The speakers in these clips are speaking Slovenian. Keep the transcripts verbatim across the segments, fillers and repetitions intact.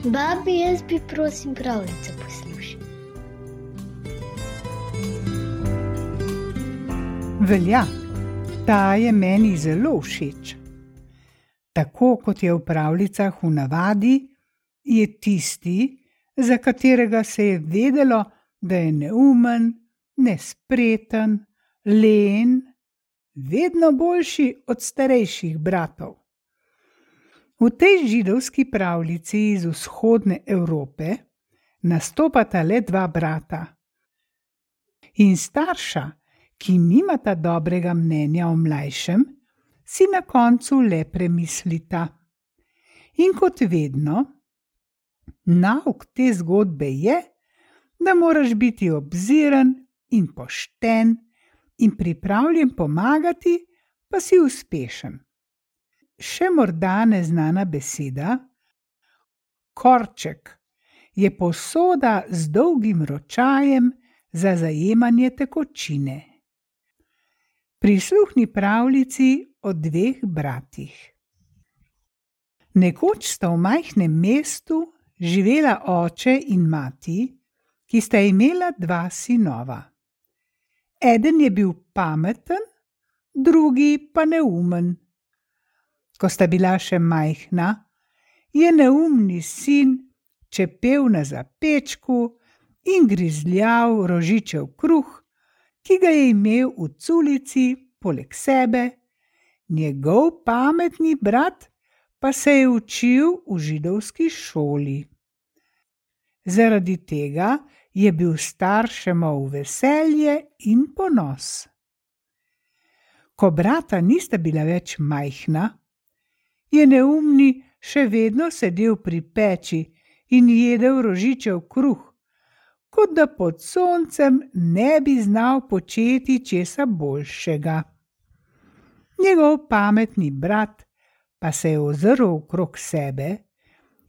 Babi, jaz bi prosim pravljico poslušal. Velja, ta je meni zelo všeč. Tako kot je v pravljicah v navadi, je tisti, za katerega se je vedelo, da je neumen, nespreten, len, vedno boljši od starejših bratov. V tej židovski pravljici iz vzhodne Evrope nastopata le dva brata. In starša, ki nimata dobrega mnenja o mlajšem, si na koncu le premislita. In kot vedno, nauk te zgodbe je, da moraš biti obziren in pošten in pripravljen pomagati, pa si uspešen. Še morda neznana beseda, korček, je posoda z dolgim ročajem za zajemanje tekočine. Prisluhni pravljici o dveh bratih. Nekoč sta v majhnem mestu živela oče in mati, ki sta imela dva sinova. Eden je bil pameten, drugi pa neumen. Ko sta bila še majhna, je neumni sin čepel na zapečku in grizljal rožičev kruh, ki ga je imel v culici poleg sebe, njegov pametni brat pa se je učil v židovski šoli. Zaradi tega je bil staršema v veselje in ponos. Ko brata nista bila več majhna, je neumni še vedno sedel pri peči in jedel rožičev kruh, kot da pod soncem ne bi znal početi česa boljšega. Njegov pametni brat pa se je ozrl okrog sebe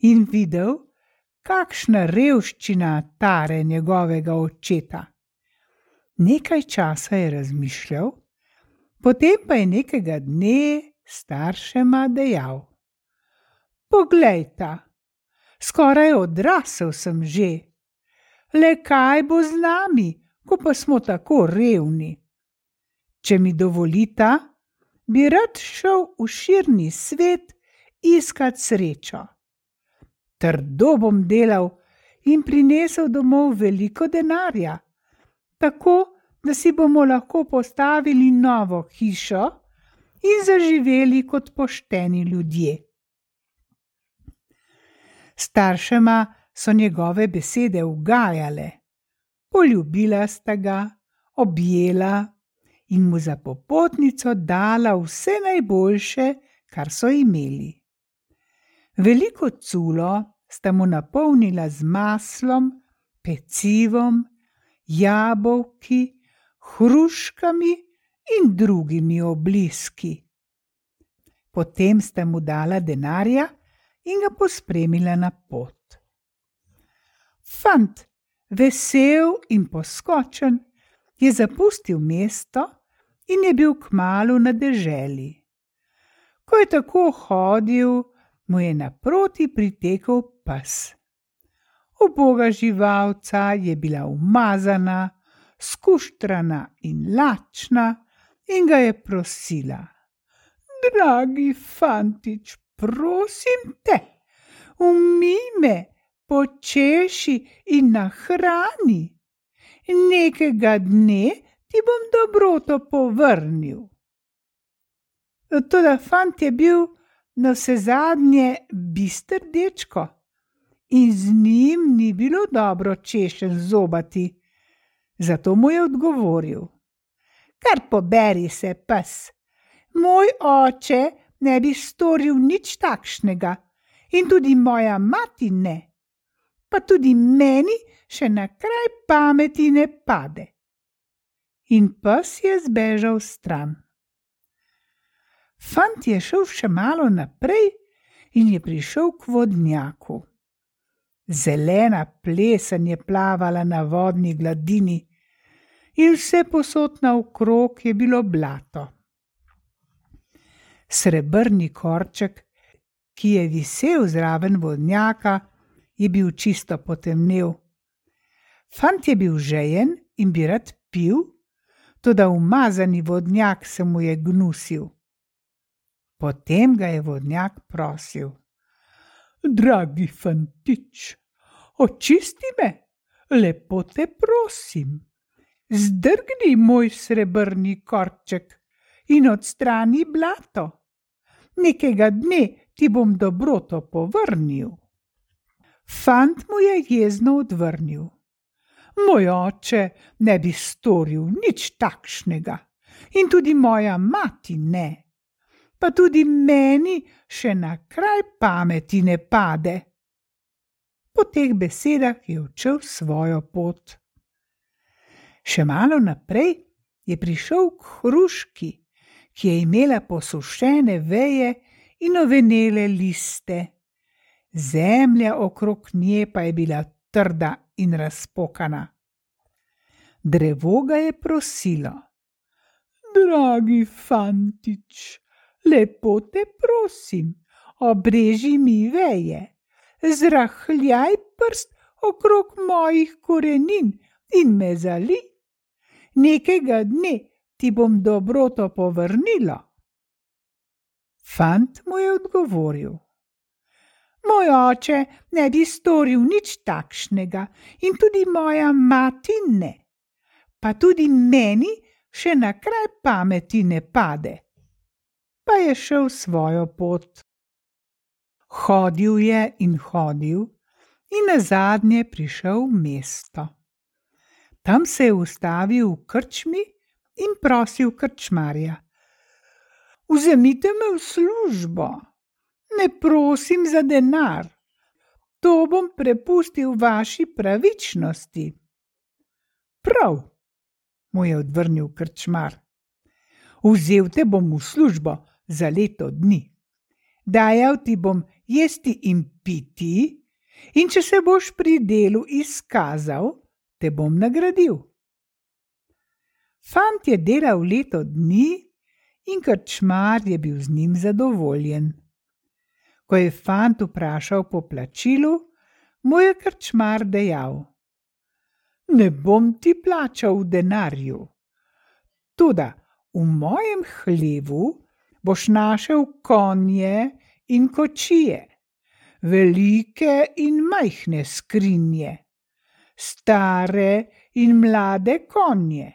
in videl, kakšna revščina tare njegovega očeta. Nekaj časa je razmišljal, potem pa je nekega dne staršema dejal: Poglejta, skoraj odrasel sem že. Le kaj bo z nami, ko pa smo tako revni? Če mi dovolita, bi rad šel v širni svet iskat srečo. Trdo bom delal in prinesel domov veliko denarja, tako da si bomo lahko postavili novo hišo in zaživeli kot pošteni ljudje. Staršema so njegove besede ugajale, poljubila sta ga, objela in mu za popotnico dala vse najboljše, kar so imeli. Veliko culo sta mu napolnila z maslom, pecivom, jabolki, hruškami in drugimi obliski. Potem sta mu dala denarja in ga pospremila na pot. Fant, vesel in poskočen, je zapustil mesto in je bil kmalu na deželi. Ko je tako hodil, mu je naproti pritekel pes. Uboga živalca je bila umazana, skuštrana in lačna in ga je prosila: Dragi fantič, prosim te, umij me, počeši in nahrani. Nekega dne ti bom dobroto povrnil. Toda fant je bil navsezadnje bister dečko in z njim ni bilo dobro češenj zobati. Zato mu je odgovoril: Kar poberi se, pes, moj oče ne bi storil nič takšnega in tudi moja mati ne, pa tudi meni še na kraj pameti ne pade. In pes je zbežal stran. Fant je šel še malo naprej in je prišel k vodnjaku. Zelena plesen je plavala na vodni gladini in vse posod naokrog je bilo blato. Srebrni korček, ki je visel zraven vodnjaka, je bil čisto potemnel. Fant je bil žejen in bi rad pil, toda umazani vodnjak se mu je gnusil. Potem ga je vodnjak prosil: Dragi fantič, očisti me, lepo te prosim. Zdrgni moj srebrni korček in odstrani blato. Nekega dne ti bom dobroto povrnil. Fant mu je jezno odvrnil: Moj oče ne bi storil nič takšnega in tudi moja mati ne, pa tudi meni še na kraj pameti ne pade. Po teh besedah je odšel svojo pot. Še malo naprej je prišel k hruški, ki je imela posušene veje in ovenele liste. Zemlja okrog nje pa je bila trda in razpokana. Drevo ga je prosilo: Dragi fantič, lepo te prosim, obreži mi veje, zrahljaj prst okrog mojih korenin in me zali. Nekega dne ti bom dobroto povrnilo. Fant mu je odgovoril: Moj oče ne bi storil nič takšnega in tudi moja mati ne, pa tudi meni še na kraj pameti ne pade. Pa je šel svojo pot. Hodil je in hodil in nazadnje prišel v mesto. Tam se je ustavil v krčmi in prosil krčmarja: Vzemite me v službo, ne prosim za denar, to bom prepustil vaši pravičnosti. Prav, mu je odvrnil krčmar, vzel te bom v službo za leto dni. Dajal ti bom jesti in piti, in če se boš pri delu izkazal, te bom nagradil. Fant je delal leto dni in krčmar je bil z njim zadovoljen. Ko je fant vprašal po plačilu, mu je krčmar dejal: Ne bom ti plačal v denarju, toda v mojem hlevu boš našel konje in kočije, velike in majhne skrinje, stare in mlade konje,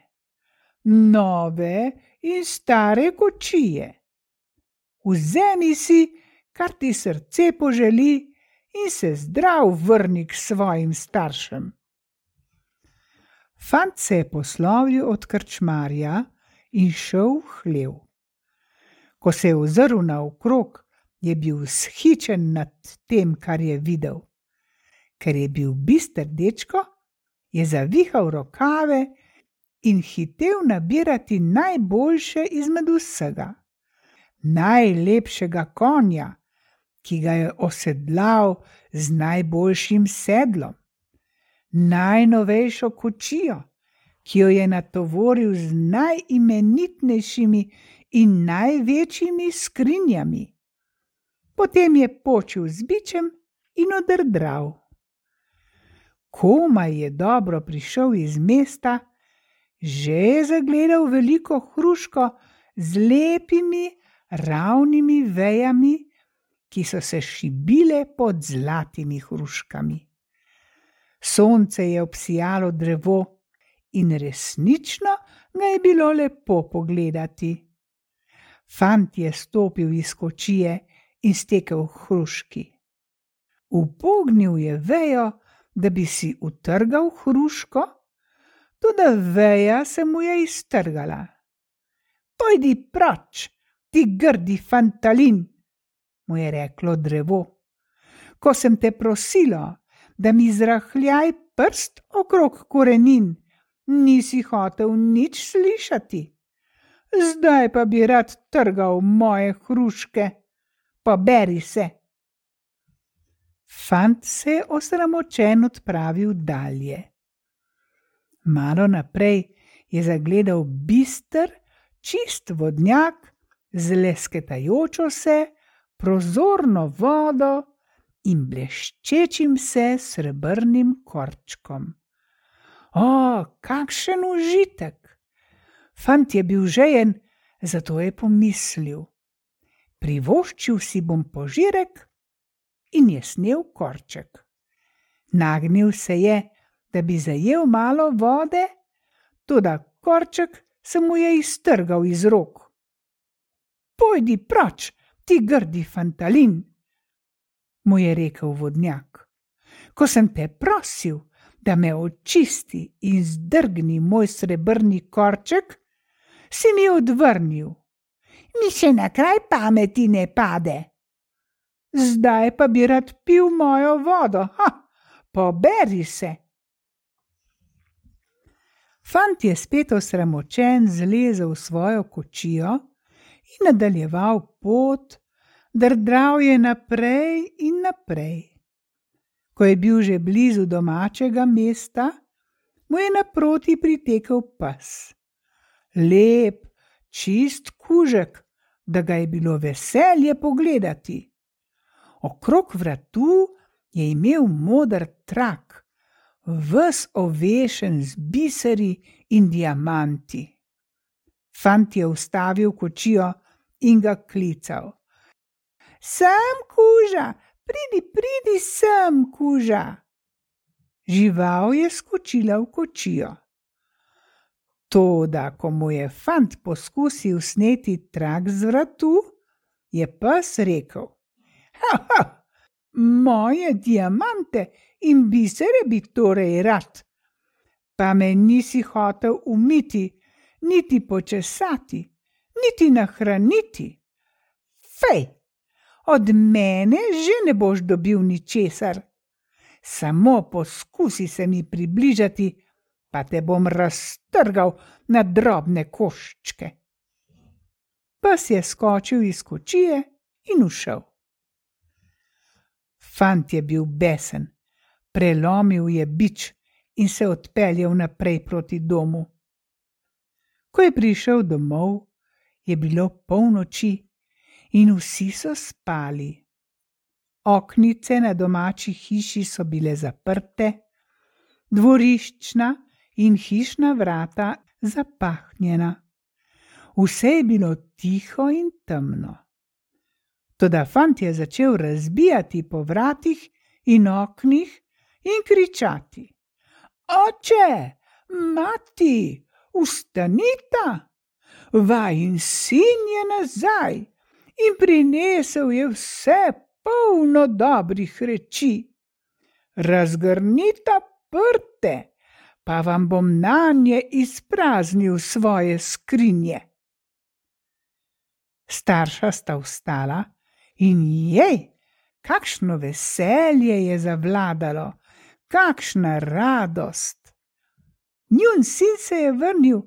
nove in stare kočije. Vzemi si, kar ti srce poželi, in se zdrav vrni k svojim staršem. Fant se je poslovil od krčmarja in šel v hlev. Ko se je ozrl naokrog, je bil vzhičen nad tem, kar je videl. Ker je bil bister dečko, je zavihal rokave in hitel nabirati najboljše izmed vsega. Najlepšega konja, ki ga je osedlal z najboljšim sedlom, najnovejšo kočijo, ki jo je natovoril z najimenitnejšimi in največjimi skrinjami. Potem je počil z bičem in odrdral. Komaj je dobro prišel iz mesta, že je zagledal veliko hruško z lepimi, ravnimi vejami, ki so se šibile pod zlatimi hruškami. Sonce je obsijalo drevo in resnično ga je bilo lepo pogledati. Fant je stopil iz kočije in stekel k hruški. Upognil je vejo, da bi si utrgal hruško, toda veja se mu je iztrgala. Pojdi proč, ti grdi fantalin, mu je reklo drevo. Ko sem te prosilo, da mi zrahljaj prst okrog korenin, nisi hotel nič slišati. Zdaj pa bi rad trgal moje hruške, poberi se. Fant se je osramočen odpravil dalje. Malo naprej je zagledal bister, čist vodnjak z lesketajočo se, prozorno vodo in bleščečim se srebrnim korčkom. O, kakšen užitek! Fant je bil žejen, zato je pomislil. Privoščil si bom požirek in je snel korček. Nagnil se je, da bi zajel malo vode, toda korček se mu je iztrgal iz rok. Pojdi proč, ti grdi fantalin, mu je rekel vodnjak. Ko sem te prosil, da me očisti in zdrgni moj srebrni korček, si mi odvrnil. Mi še na kraj pameti ne pade. Zdaj pa bi rad pil mojo vodo, ha, poberi se. Fant je spet osramočen zlezel v svojo kočijo in nadaljeval pot, drdral je naprej in naprej. Ko je bil že blizu domačega mesta, mu je naproti pritekel pes. Lep, čist kužek, da ga je bilo veselje pogledati. Okrog vratu je imel moder trak, ves ovešen z biseri in diamanti. Fant je ustavil kočijo in ga klical. Sem kuža, pridi, pridi sem kuža. Žival je skočila v kočijo. Toda, ko mu je fant poskusil sneti trak z vratu, je pes rekel. Ha, ha, moje diamante in bisere bi torej rad, pa me nisi hotel umiti, niti počesati, niti nahraniti. Fej, od mene že ne boš dobil ničesar. Samo poskusi se mi približati, pa te bom raztrgal na drobne koščke. Pes je skočil iz kočije in ušel. Fant je bil besen, prelomil je bič in se odpeljal naprej proti domu. Ko je prišel domov, je bilo polnoči in vsi so spali. Oknice na domači hiši so bile zaprte, dvoriščna in hišna vrata zapahnjena. Vse je bilo tiho in temno. Toda fant je začel razbijati po vratih in oknih in kričati. Oče, mati, vstanita! Vajin sin je nazaj in prinesel je vse polno dobrih reči. Razgrnita prte, pa vam bom nanje izpraznil svoje skrinje. Starša sta vstala in jej, kakšno veselje je zavladalo, kakšna radost. Njun sin se je vrnil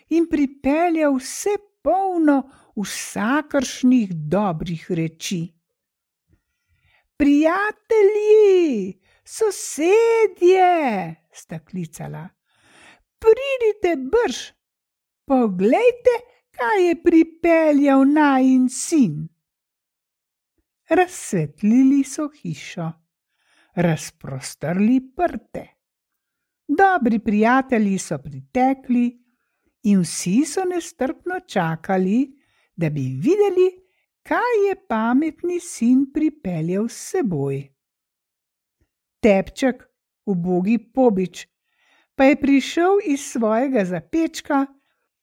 in pripeljal vse polno vsakršnih dobrih reči. Prijatelji, sosedje, sta klicala, pridite brž, poglejte, kaj je pripeljal najin sin. Razsvetlili so hišo, razprostrli prte. Dobri prijatelji so pritekli in vsi so nestrpno čakali, da bi videli, kaj je pametni sin pripeljal s seboj. Tepček, ubogi pobič, pa je prišel iz svojega zapečka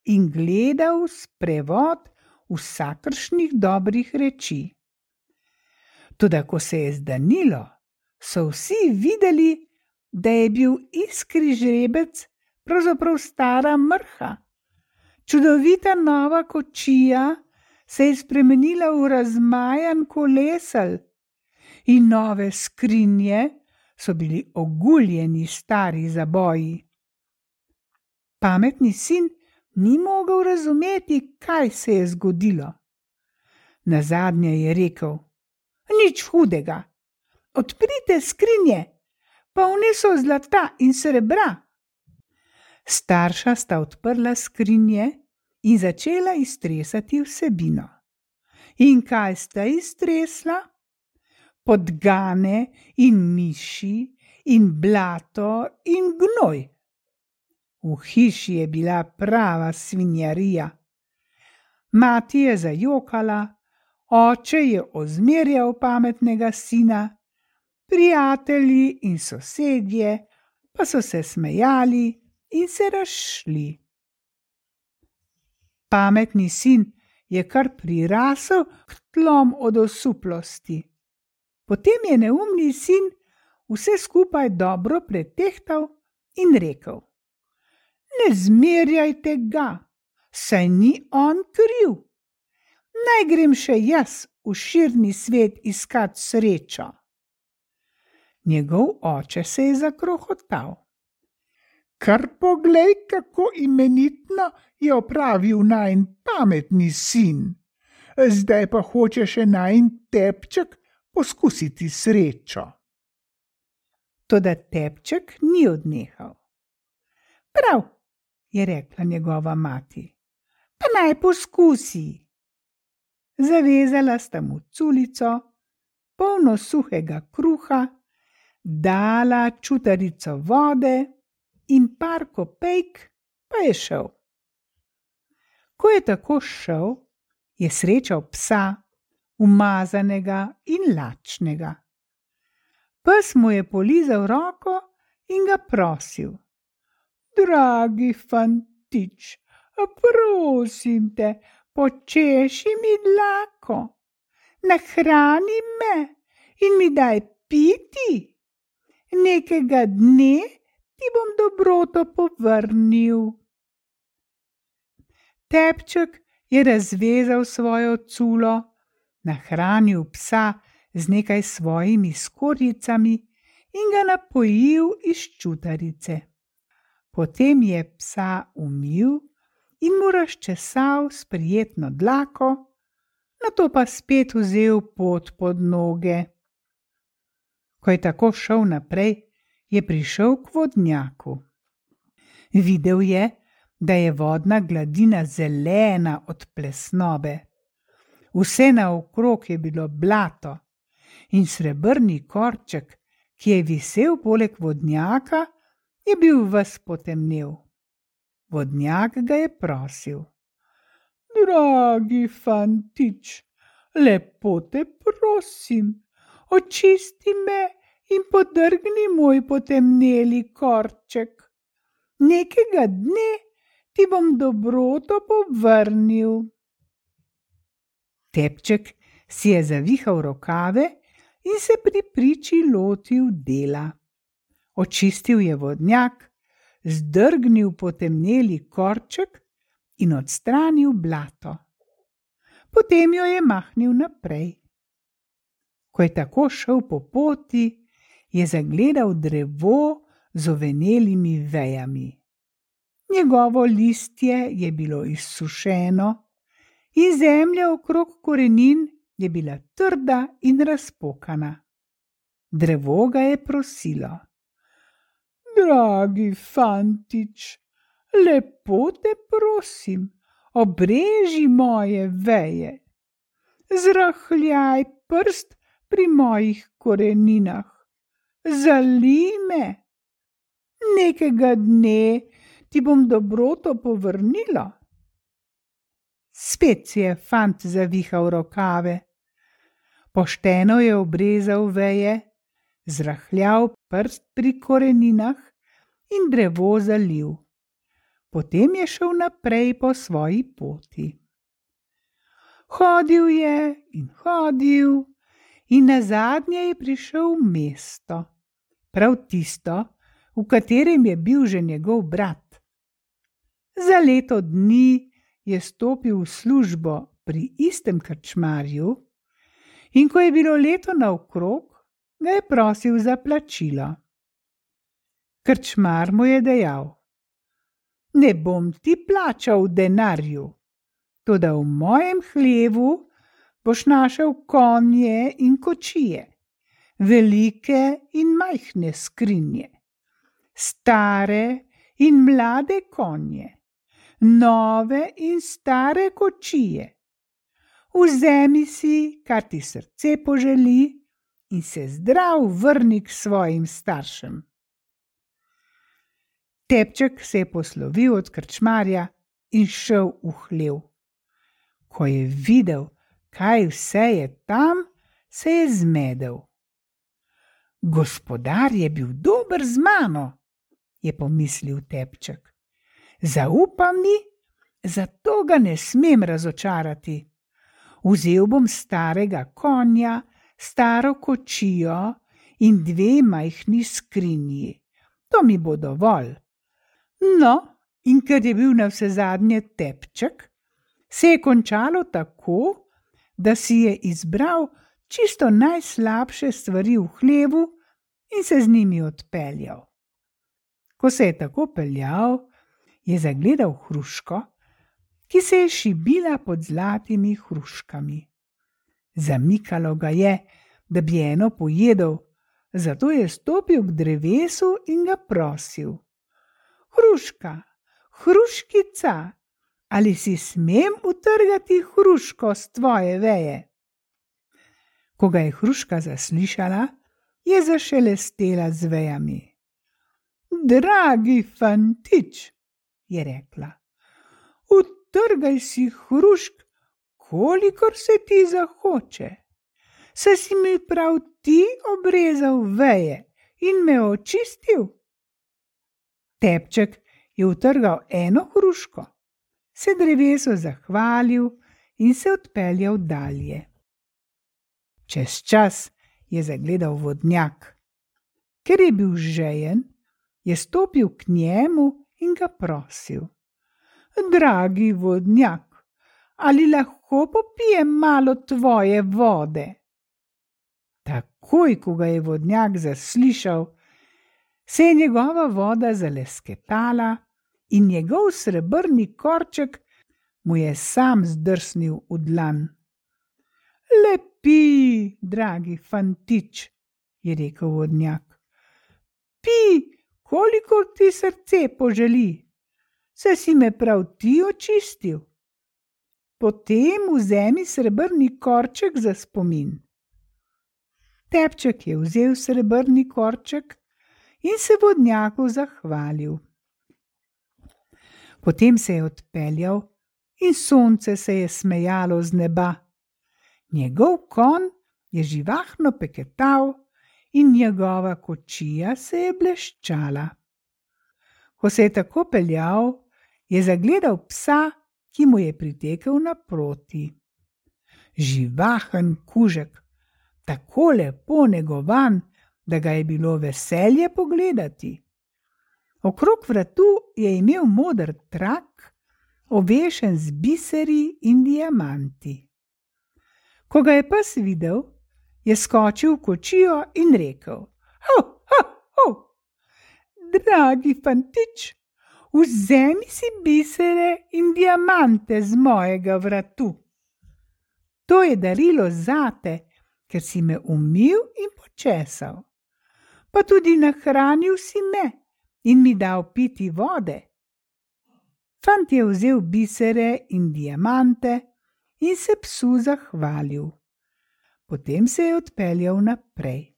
in gledal sprevod vsakršnih dobrih reči. Toda ko se je zdanilo, so vsi videli, da je bil iskri žrebec pravzaprav stara mrha. Čudovita nova kočija se je spremenila v razmajan kolesel in nove skrinje so bili oguljeni stari zaboji. Pametni sin ni mogel razumeti, kaj se je zgodilo. Nazadnje je rekel, nič hudega, odprite skrinje, polne so zlata in srebra. Starša sta odprla skrinje in začela iztresati vsebino. In kaj sta iztresla? podgane in miši in blato in gnoj. V hiši je bila prava svinjarija. Mati je zajokala, oče je ozmerjal pametnega sina, prijatelji in sosedje pa so se smejali in se razšli. Pametni sin je kar prirasel k tlom od osuplosti. Potem je neumni sin vse skupaj dobro pretehtal in rekel: Ne zmerjajte ga, saj ni on kriv. Naj grem še jaz v širni svet iskat srečo. Njegov oče se je zakrohotal. Kar poglej, kako imenitno je opravil najin pametni sin. Zdaj pa hoče še najin tepček poskusiti srečo. Toda tepček ni odnehal. Prav, je rekla njegova mati, pa naj poskusi. Zavezala sta mu culico, polno suhega kruha, dala čutarico vode in par kopejk, pa je šel. Ko je tako šel, je srečal psa, umazanega in lačnega. Pes mu je polizal roko in ga prosil: Dragi fantič, prosim te, počeši mi dlako, nahrani me in mi daj piti. Nekega dne ti bom dobroto povrnil. Tepček je razvezal svojo culo, nahranil psa z nekaj svojimi skorjicami in ga napojil iz čutarice. Potem je psa umil in mu razčesal s prijetno dlako, nato pa spet vzel pot pod noge. Ko je tako šel naprej, je prišel k vodnjaku. Videl je, da je vodna gladina zelena od plesnobe. Vse naokrog je bilo blato in srebrni korček, ki je visel poleg vodnjaka, je bil ves potemnel. Vodnjak ga je prosil: Dragi fantič, lepo te prosim, očisti me in podrgni moj potemneli korček. Nekega dne ti bom dobroto povrnil. Tepček si je zavihal rokave in se pri priči lotil dela. Očistil je vodnjak, zdrgnil potemneli korček in odstranil blato. Potem jo je mahnil naprej. Ko je tako šel po poti, je zagledal drevo z ovenelimi vejami. Njegovo listje je bilo izsušeno in zemlja okrog korenin je bila trda in razpokana. Drevo ga je prosilo: Dragi fantič, lepo te prosim, obreži moje veje. Zrahljaj prst pri mojih koreninah. Zalij me. Nekega dne ti bom dobroto povrnila. Spet si je fant zavihal rokave. Pošteno je obrezal veje, zrahljal prst pri koreninah in drevo zalil. Potem je šel naprej po svoji poti. Hodil je in hodil in nazadnje je prišel v mesto, prav tisto, v katerem je bil že njegov brat. Za leto dni je stopil v službo pri istem krčmarju in ko je bilo leto naokrog, ga je prosil za plačilo. Krčmar mu je dejal: Ne bom ti plačal v denarju, toda v mojem hlevu boš našel konje in kočije, velike in majhne skrinje, stare in mlade konje, nove in stare kočije. Vzemi si, kar ti srce poželi, in se zdrav vrni k svojim staršem. Tepček se je poslovil od krčmarja in šel v hlev. Ko je videl, kaj vse je tam, se je zmedel. Gospodar je bil dober z mano, je pomislil Tepček. Zaupa mi, zato ga ne smem razočarati. Vzel bom starega konja, staro kočijo in dve majhni skrinji. To mi bo dovolj. No, in ker je bil navsezadnje Tepček, se je končalo tako, da si je izbral čisto najslabše stvari v hlevu in se z njimi odpeljal. Ko se je tako peljal, je zagledal hruško, ki se je šibila pod zlatimi hruškami. Zamikalo ga je, da bi eno pojedel, zato je stopil k drevesu in ga prosil. Hruška, hruškica, ali si smem utrgati hruško s tvoje veje? Ko ga je hruška zaslišala, je zašelestela z vejami. Dragi fantič, je rekla, utrgaj si hrušk, kolikor se ti zahoče. Saj si mi prav ti obrezal veje in me očistil. Tepček je utrgal eno hruško, se drevesu zahvalil in se odpeljal dalje. Čez čas je zagledal vodnjak. Ker je bil žejen, je stopil k njemu in ga prosil. Dragi vodnjak, ali lahko popijem malo tvoje vode? Takoj, ko ga je vodnjak zaslišal, se je njegova voda zalesketala in njegov srebrni korček mu je sam zdrsnil v dlan. Lepi, dragi fantič, je rekel vodnjak. Pi, kolikor ti srce poželi, saj si me prav ti očistil. Potem vzemi srebrni korček za spomin. Tepček je vzel srebrni korček in se vodnjaku zahvalil. Potem se je odpeljal in sonce se je smejalo z neba. Njegov konj je živahno peketal in njegova kočija se je bleščala. Ko se je tako peljal, je zagledal psa, ki mu je pritekel naproti. Živahen kužek, tako lepo negovan, da ga je bilo veselje pogledati. Okrog vratu je imel moder trak, ovešen z biseri in diamanti. Ko ga je pes videl, je skočil v kočijo in rekel: Ho, ho, ho! Dragi fantič, vzemi si bisere in diamante z mojega vratu. To je darilo zate, ker si me umil in počesal. Pa tudi nahranil si me in mi dal piti vode. Fant je vzel bisere in diamante in se psu zahvalil. Potem se je odpeljal naprej.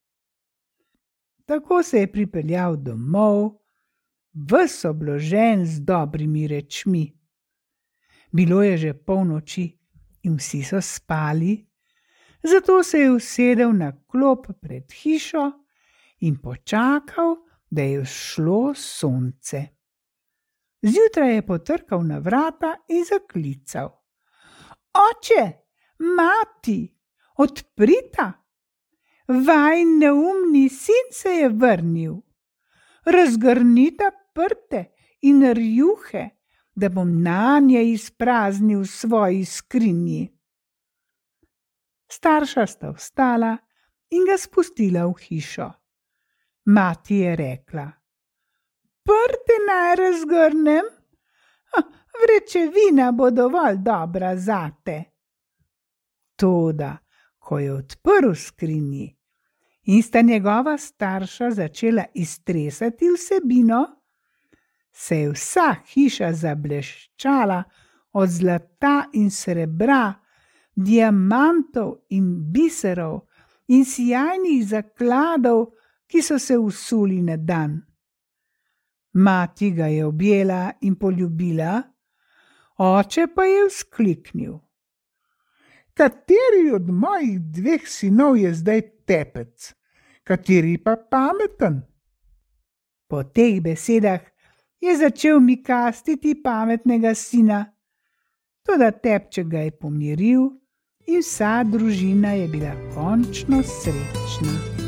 Tako se je pripeljal domov, ves obložen z dobrimi rečmi. Bilo je že polnoči in vsi so spali, zato se je usedel na klop pred hišo in počakal, da je vzšlo sonce. Zjutraj je potrkal na vrata in zaklical. Oče, mati, odprita! Vajin neumni sin se je vrnil. Razgrnita prte in rjuhe, da bom nanje izpraznil svoji skrinji. Starša sta vstala in ga spustila v hišo. Mati je rekla: Prte naj razgrnem? Vrečevina bo dovolj dobra zate. Toda, ko je odprl skrinji in sta njegova starša začela iztresati vsebino, se je vsa hiša zableščala od zlata in srebra, diamantov in biserov in sijajnih zakladov, ki so se usuli na dan. Mati ga je objela in poljubila, oče pa je vzkliknil: Kateri od mojih dveh sinov je zdaj tepec, kateri pa pameten? Po teh besedah je začel mikastiti pametnega sina, toda tepček ga je pomiril in vsa družina je bila končno srečna.